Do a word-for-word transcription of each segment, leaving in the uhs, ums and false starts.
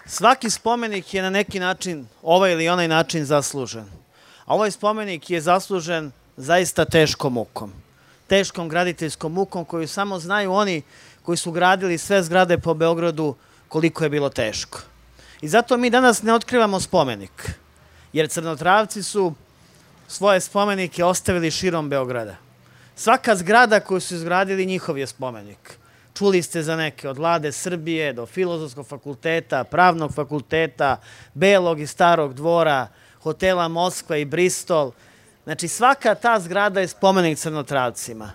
Svaki spomenik je na neki način, ovaj ili onaj način zaslužen. A ovaj spomenik je zaslužen zaista teškom mukom. Teškom graditeljskom mukom koju samo znaju oni koji su gradili sve zgrade po Beogradu koliko je bilo teško. I zato mi danas ne otkrivamo spomenik, jer Crnotravci su svoje spomenike ostavili širom Beograda. Svaka zgrada koju su izgradili njihov je spomenik. Čuli ste za neke, od Vlade Srbije do Filozofskog fakulteta, Pravnog fakulteta, Belog i Starog dvora, hotela Moskva i Bristol. Znači, svaka ta zgrada je spomenik Crnotravcima.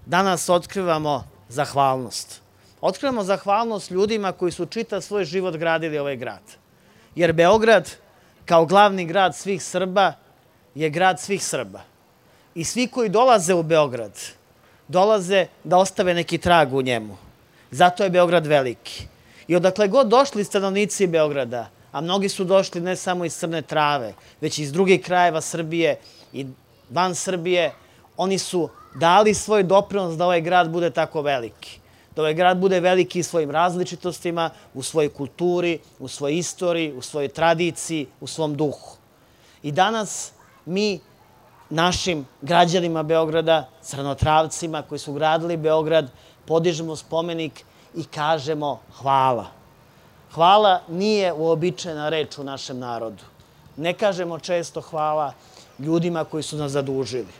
Danas otkrivamo zahvalnost. Otkrivamo zahvalnost ljudima koji su čitav svoj život gradili ovaj grad. Jer Beograd, kao glavni grad svih Srba, je grad svih Srba. I svi koji dolaze u Beograd, dolaze da ostave neki trag u njemu. Zato je Beograd veliki. I odakle god došli stanovnici Beograda, a mnogi su došli ne samo iz Crne Trave, već iz drugih krajeva Srbije i van Srbije, oni su dali svoj doprinos da ovaj grad bude tako veliki. Da ovaj grad bude veliki svojim različitostima, u svojoj kulturi, u svojoj istoriji, u svojoj tradiciji, u svom duhu. I danas mi našim građanima Beograda, Crnotravcima koji su gradili Beograd, podižemo spomenik i kažemo hvala. Hvala nije uobičajena reč u našem narodu. Ne kažemo često hvala ljudima koji su nas zadužili.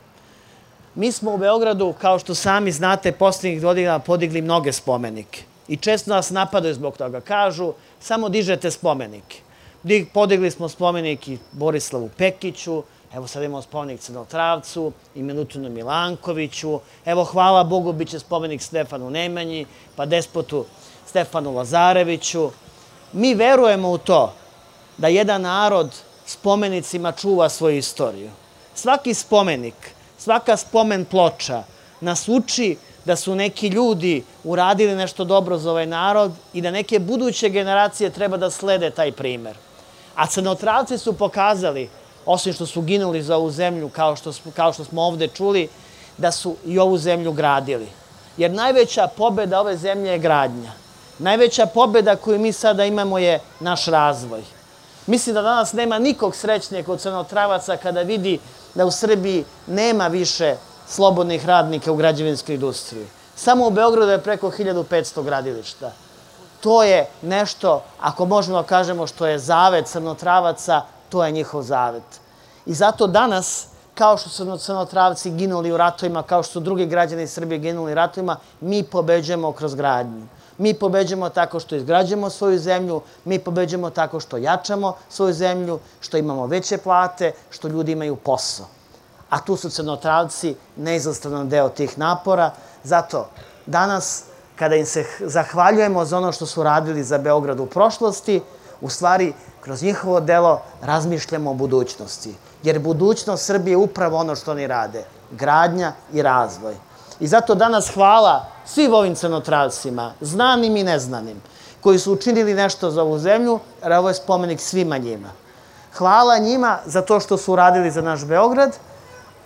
Mi smo u Beogradu, kao što sami znate, posljednjih godina podigli mnoge spomenike. I često nas napadaju zbog toga. Kažu, samo dižete spomenike. Podigli smo spomenik i Borislavu Pekiću, evo sad imamo spomenik Crnotravcu i Milutinu Milankoviću, evo hvala Bogu bit će spomenik Stefanu Nemanji, pa despotu Stefanu Lazareviću. Mi verujemo u to da jedan narod spomenicima čuva svoju istoriju. Svaki spomenik, svaka spomen ploča nas uči da su neki ljudi uradili nešto dobro za ovaj narod i da neke buduće generacije treba da slede taj primer. A Crnotravci su pokazali, osim što su ginuli za ovu zemlju, kao što, kao što smo ovde čuli, da su i ovu zemlju gradili. Jer najveća pobeda ove zemlje je gradnja. Najveća pobeda koju mi sada imamo je naš razvoj. Mislim da danas nema nikog srećnijeg od Crnotravaca kada vidi da u Srbiji nema više slobodnih radnika u građevinskoj industriji. Samo u Beogradu je preko hiljadu petsto gradilišta. To je nešto, ako možemo da kažemo što je zavet Crnotravaca, to je njihov zavet. I zato danas, kao što su Crnotravci ginuli u ratovima, kao što su drugi građani Srbije ginuli u ratovima, mi pobeđujemo kroz gradnju. Mi pobeđujemo tako što izgrađujemo svoju zemlju, mi pobeđujemo tako što jačamo svoju zemlju, što imamo veće plate, što ljudi imaju posao. A tu su Crnotravci neizostavan deo tih napora. Zato danas, kada im se zahvaljujemo za ono što su radili za Beograd u prošlosti, u stvari, kroz njihovo delo razmišljamo o budućnosti. Jer budućnost Srbije je upravo ono što oni rade. Gradnja i razvoj. I zato danas hvala svim ovim Crnotravcima, znanim i neznanim, koji su učinili nešto za ovu zemlju, jer ovo je spomenik svima njima. Hvala njima za to što su uradili za naš Beograd,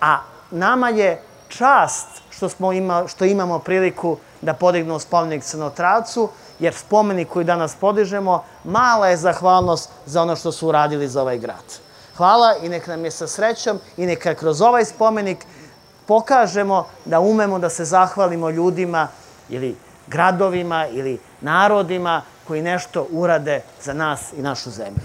a nama je čast što, smo ima, što imamo priliku da podignemo spomenik Crnotravcu, jer spomenik koji danas podižemo, mala je zahvalnost za ono što su uradili za ovaj grad. Hvala i nek nam je sa srećom i neka kroz ovaj spomenik pokažemo da umemo da se zahvalimo ljudima ili gradovima ili narodima koji nešto urade za nas i našu zemlju.